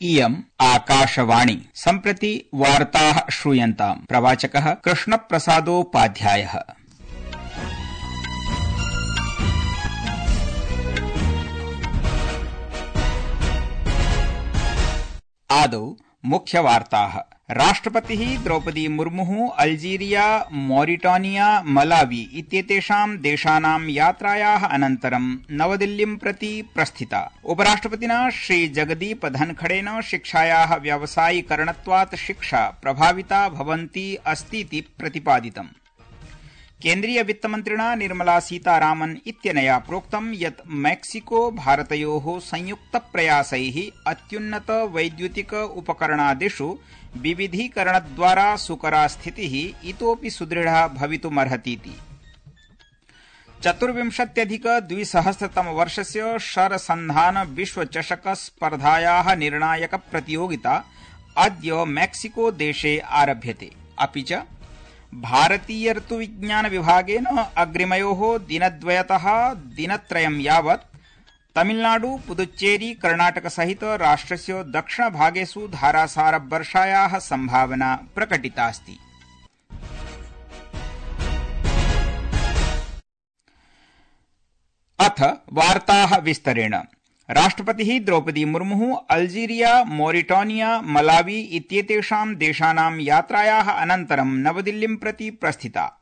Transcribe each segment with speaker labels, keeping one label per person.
Speaker 1: इयम् आकाशवाणी सम्प्रति वार्ताः श्रूयन्ताम्। प्रवाचकः कृष्णप्रसादोपाध्यायः। आदौ मुख्यवार्ताः। राष्ट्रपतिः द्रौपदी मुर्मुः अल्जीरिया, मॉरिटानिया, मलावी इत्येतेषां देशानां यात्रायाः अनन्तरं नवदिल्लीं प्रति प्रस्थिता। उपराष्ट्रपतिना श्रीजगदीप धनखड़ेन शिक्षायाः व्यावसायीकरणत्वात् शिक्षा प्रभाविता भवन्ती अस्तीति प्रतिपादितम्। केन्द्रीय वित्तमन्त्रिणा निर्मला सीतारामन् इत्यनया प्रोक्तं यत् मैक्सिको भारतयोः संयुक्तप्रयासैः अत्युन्नत वैद्युतिक उपकरणादिषु विविधीकरणद्वारा सुकरा स्थितिः इतोऽपि सुदृढा भवितुमर्हतीति। 24,2000 शरसन्धान विश्वचषक स्पर्धायाः निर्णायक प्रतियोगिता अद्य मैक्सिको देशे आरभ्यते। अपि च भारतीय ऋतुविज्ञान विभागेन अग्रिमयोः दिनद्वयतः दिनत्रयं यावत् तमिलनाडु, पुदुच्चेरी, कर्णाटक सहित राष्ट्रस्य दक्षिणभागेषु धारासारवर्षायाः सम्भावना प्रकटितास्ति। अथ वार्ताः विस्तरेण। राष्ट्रपतिः द्रौपदी मुर्मुः अल्जीरिया, मॉरिटानिया, मलावी इत्येतेषां देशानां यात्रायाः अनन्तरं नवदिल्लीं प्रति प्रस्थिता।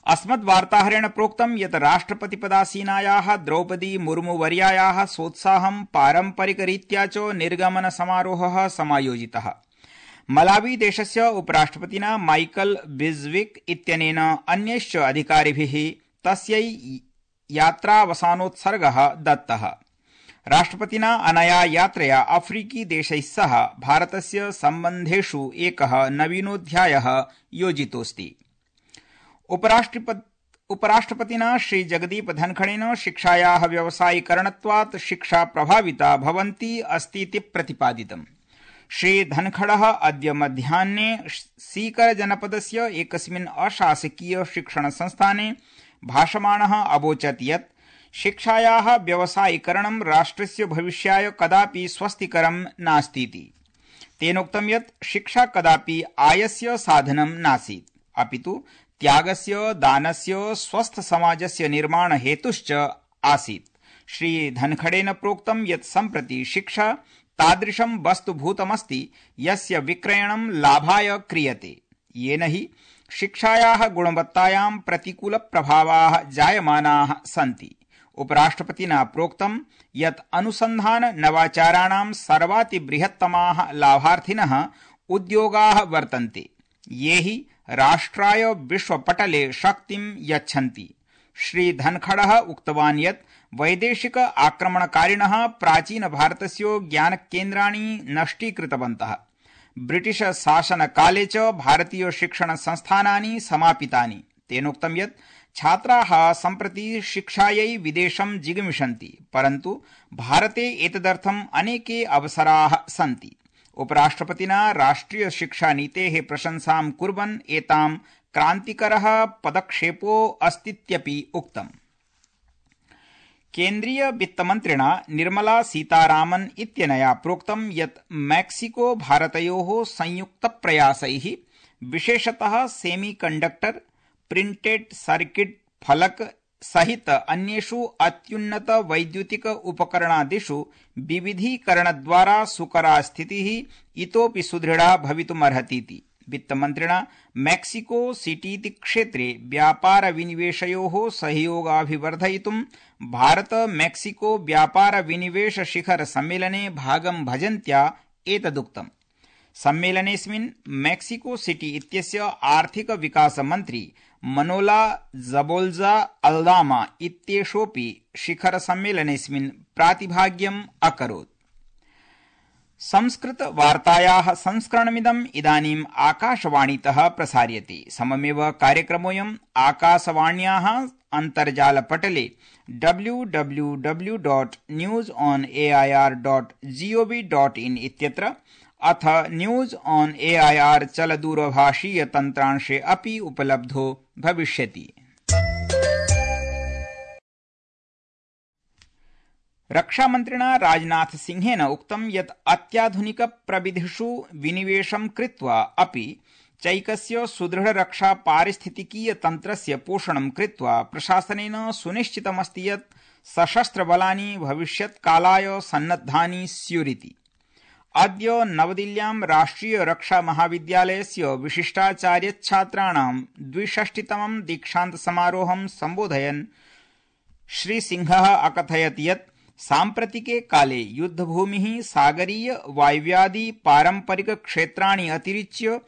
Speaker 1: अस्मद्वार्ताहरेण प्रोक्तं यत् राष्ट्रपतिपदासीनायाः द्रौपदी मुर्मुवर्यायाः सोत्साहं पारम्परिकरीत्या च निर्गमन समारोहः समायोजितः। मलावी देशस्य उपराष्ट्रपतिना माइकल बिज्विक इत्यनेन अन्यैश्च अधिकारिभिः तस्यै यात्रावसानोत्सर्गः दत्तः। राष्ट्रपतिना अनया यात्रया अफ्रीकी देशैः सह भारतस्य सम्बन्धेषु एकः नवीनोऽध्यायः योजितोऽस्ति। उपराष्ट्रपतिना श्रीजगदीप धनखड़ेन शिक्षायाः व्यावसायीकरणत्वात् शिक्षा प्रभाविता भवन्ती अस्तीति प्रतिपादितम्। श्रीधनखड़ः अद्य मध्याह्ने सीकर जनपदस्य एकस्मिन् अशासकीय शिक्षण संस्थाने भाषमाणः अवोचत् यत् शिक्षायाः व्यावसायीकरणं राष्ट्रस्य भविष्याय कदापि स्वस्तिकरं नास्तीति। तेनोक्तं यत् शिक्षा कदापि आयस्य साधनं नासीत्, अपितु त्यागस्य, दानस्य, स्वस्थ समाजस्य निर्माण हेतुश्च आसीत्। श्रीधनखड़ेन प्रोक्तं यत् सम्प्रति शिक्षा तादृशं वस्तुभूतमस्ति यस्य विक्रयणं लाभाय क्रियते, येन हि शिक्षायाः गुणवत्तायां प्रतिकूलप्रभावाः जायमानाः सन्ति। उपराष्ट्रपतिना प्रोक्तं यत् अनुसन्धान नवाचाराणां सर्वातिबृहत्तमाः लाभार्थिनः उद्योगाः वर्तन्ते, ये हि राष्ट्राय विश्वपटले शक्तिं यच्छन्ति। श्रीधनखड़ः उक्तवान् यत् वैदेशिक आक्रमणकारिणः प्राचीनभारतस्य ज्ञानकेन्द्राणि नष्टीकृतवन्तः। ब्रिटिश शासनकाले च भारतीय शिक्षण संस्थानानि समापितानि। तेनोक्तं यत् छात्राः सम्प्रति शिक्षायै विदेशं जिगमिषन्ति, परन्तु भारते एतदर्थम् अनेके अवसराः सन्ति। उपराष्ट्रपतिना राष्ट्रिय शिक्षा नीतेः प्रशंसां कुर्वन् एतां क्रान्तिकरः पदक्षेपो अस्तीत्यपि उक्तम्। केन्द्रीय वित्तमन्त्रिणा निर्मला सीतारामन् इत्यनया प्रोक्तं यत् मैक्सिको भारतयोः संयुक्तप्रयासैः विशेषतः सेमीकण्डक्टर, प्रिंटेड सर्किट फलक सहित अन्येषु अत्युन्नत वैद्युतिक उपकरणादिषु विविधीकरणद्वारा सुकरा स्थितिः इतोऽपि सुदृढा भवितुमर्हतीति। वित्तमन्त्रिणा मैक्सिको सिटीति क्षेत्रे व्यापार विनिवेशयोः सहयोगाभिवर्धयितुं भारत मैक्सिको व्यापार विनिवेश शिखर सम्मेलने भागं भजन्त्या एतदुक्तम्। सम्मेलनेऽस्मिन् मैक्सिको सिटी इत्यस्य आर्थिक विकास मन्त्री मनोला जबोल्जा अल्दामा इत्येषोऽपि शिखर सम्मेलनेऽस्मिन् प्रातिभाग्यम् अकरोत्। संस्कृत वार्तायाः संस्करणमिदम् इदानीम् आकाशवाणीतः प्रसार्यते। सममेव कार्यक्रमोऽयम् आकाशवाण्याः अन्तर्जालपटले www.newsonair.gov.in इत्यत्र अथ न्यूज ऑन एआईआर चलदूरभाषीय तन्त्रांशे अपि उपलब्धो भविष्यति। रक्षामन्त्रिणा राजनाथ सिंहेन उक्तं यत् अत्याधुनिक प्रविधिषु विनिवेशं कृत्वा अपि चैकस्य सुदृढ रक्षा पारिस्थितिकीय तन्त्रस्य पोषणं कृत्वा प्रशासनेन सुनिश्चितमस्ति यत् सशस्त्रबलानि भविष्यत्कालाय सन्नद्धानि स्युरिति। अद्य नवदिल्ल्यां राष्ट्रिय रक्षा महाविद्यालयस्य विशिष्टाचार्यछात्राणां 62तमं दीक्षान्त समारोहं सम्बोधयन् श्रीसिंहः अकथयत् यत् साम्प्रतिके काले युद्धभूमिः सागरीय वायव्यादि पारम्परिक क्षेत्राणि अतिरिच्य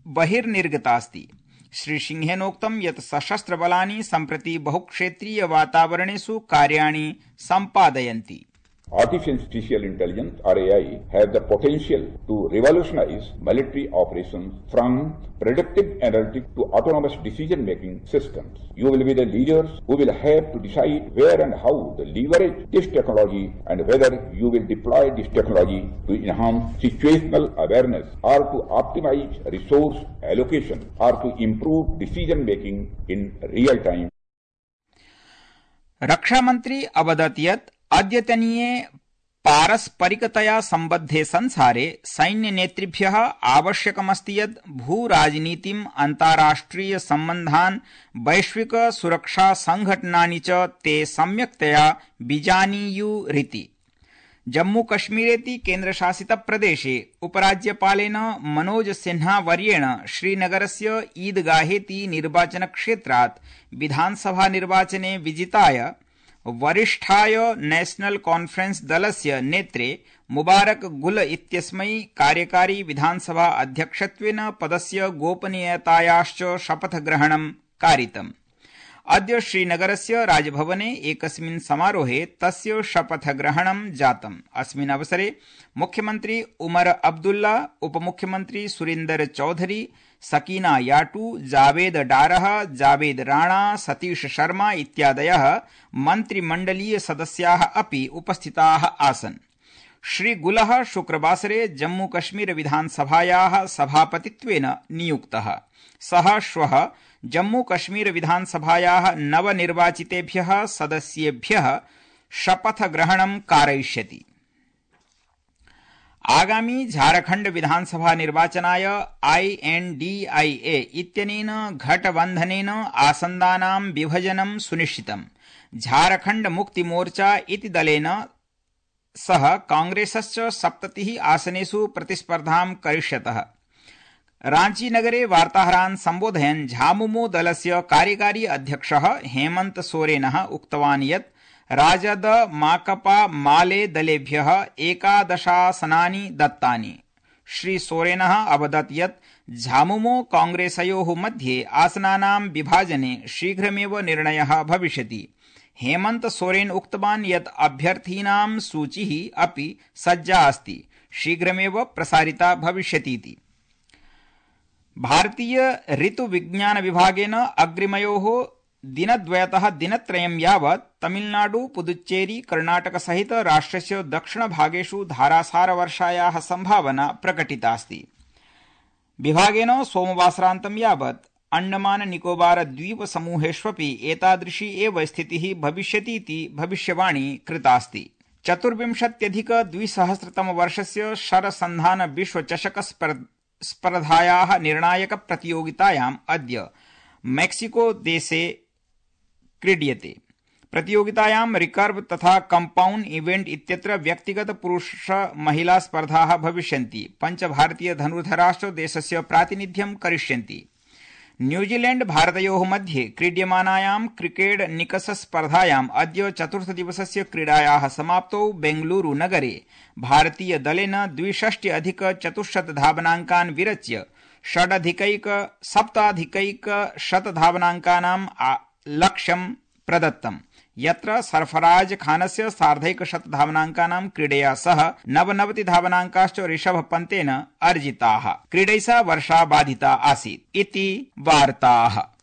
Speaker 1: बहिर्निर्गतास्ति। श्रीसिंहेनोक्तं यत् सशस्त्रबलानि सम्प्रति बहुक्षेत्रीय वातावरणेषु कार्याणि सम्पादयन्ति।
Speaker 2: Artificial intelligence or AI have the potential to revolutionize military operations from predictive analytics to autonomous decision-making systems. You will be the leaders who will have to decide where and how to leverage this technology and whether you will deploy this technology to enhance situational awareness or to optimize resource allocation or to improve decision-making in real time.
Speaker 1: रक्षामन्त्री अवदत् यत् अद्यतनीये पारस्परिकतया सम्बद्धे संसारे सैन्यनेतृभ्यः आवश्यकमस्ति यत् भूराजनीतिम् अन्ताराष्ट्रिय सम्बन्धान् वैश्विक सुरक्षा संघटनानि च ते सम्यक्तया विजानीयुरिति। जम्मूकश्मीरेति केन्द्रशासित प्रदेशे उपराज्यपालेन मनोज सिन्हा वर्येण श्रीनगरस्य ईदगाहेति निर्वाचनक्षेत्रात् विधानसभा निर्वाचने विजिताय वरिष्ठाय नेशनल कॉन्फ्रेंस दलस्य नेत्रे मुबारक गुल इत्यस्मै कार्यकारी विधानसभा अध्यक्षत्वेन पदस्य गोपनीयतायाश्च शपथग्रहणं कारितम्। अद्य श्रीनगरस्य राजभवने एकस्मिन् समारोहे तस्य शपथग्रहणं जातम्। अस्मिन् अवसरे मुख्यमन्त्री उमर अब्दुल्ला, उपमुख्यमन्त्री सुरेन्दर चौधरी, सकीना याटू, जावेद डारह, जावेद राणा, सतीश शर्मा इत्यादयः मन्त्रिमण्डलीय सदस्याः अपि उपस्थिताः आसन्। श्रीगुलः शुक्रवासरे जम्मूकश्मीर विधानसभायाः सभापतित्वेन नियुक्तः। सः श्वः जम्मूकश्मीर विधानसभायाः नवनिर्वाचितेभ्यः सदस्येभ्यः शपथग्रहणं कारयिष्यति। आगामी झारखण्ड विधानसभा निर्वाचनाय INDIA इत्यनेन घटबन्धनेन आसन्दानां विभजनं सुनिश्चितम्। झारखण्ड मुक्ति मोर्चा इति दलेन सह कांग्रेसश्च 70 आसनेषु प्रतिस्पर्धां करिष्यतः। रांचीनगरे वार्ताहरान् सम्बोधयन् झामुमो दलस्य कार्यकारी अध्यक्षः हेमन्त सोरेनः उक्तवान् यत् राजद माकपा माले दलेभ्यः 11 आसनानि दत्तानि। श्री सोरेनः अवदत् यत् झामुमो कांग्रेसयोः मध्ये आसनानां विभाजने शीघ्रमेव निर्णयः भविष्यति। हेमन्त सोरेन उक्तवान् यत् अभ्यर्थीनां सूचिः अपि सज्जा अस्ति, शीघ्रमेव प्रसारिता भविष्यतीति। भारतीय ऋतुविज्ञान विभागेन अग्रिमयोः दिनद्वयतः दिनत्रयं यावत् तमिलनाडु, पुदुच्चेरी, कर्णाटक सहित राष्ट्रस्य दक्षिणभागेषु धारासारवर्षायाः सम्भावना प्रकटितास्ति। विभागेन सोमवासरान्तं यावत् अंडमान निकोबार द्वीप समूहेष्वपि एतादृशी एव स्थितिः भविष्यतीति भविष्यवाणी कृतास्ति। 24,2000 शरसन्धान विश्वचषक स्पर्धायाः निर्णायक प्रतियोगितायाम् अद्य मेक्सिको देशे क्रीड्यते। प्रतियोगितायां रिकर्व तथा कंपाउंड इवेंट इत्यत्र व्यक्तिगत पुरुष महिला स्पर्धाः भविष्यन्ति। 5 भारतीय धनुर्धराश्च देशस्य प्रातिनिध्यं करिष्यन्ति। न्यूजीलैंड भारतयोः मध्ये क्रीड्यमानायां क्रिकेट निकष स्पर्धायाम् अद्य चतुर्थदिवसस्य क्रीडायाः समाप्तौ बेंगलुरु नगरे भारतीय दलेन 62,400 धावनाङ्कान् विरच्य 7,100 धावनाङ्कानां लक्ष्यं प्रदत्तम्, यत्र सरफराज खानस्य 150 धावनाङ्कानां क्रीडया सह 99 धावनाङ्काश्च ऋषभ पन्तेन अर्जिताः। क्रीडैषा वर्षा बाधिता आसीत् इति वार्ताः।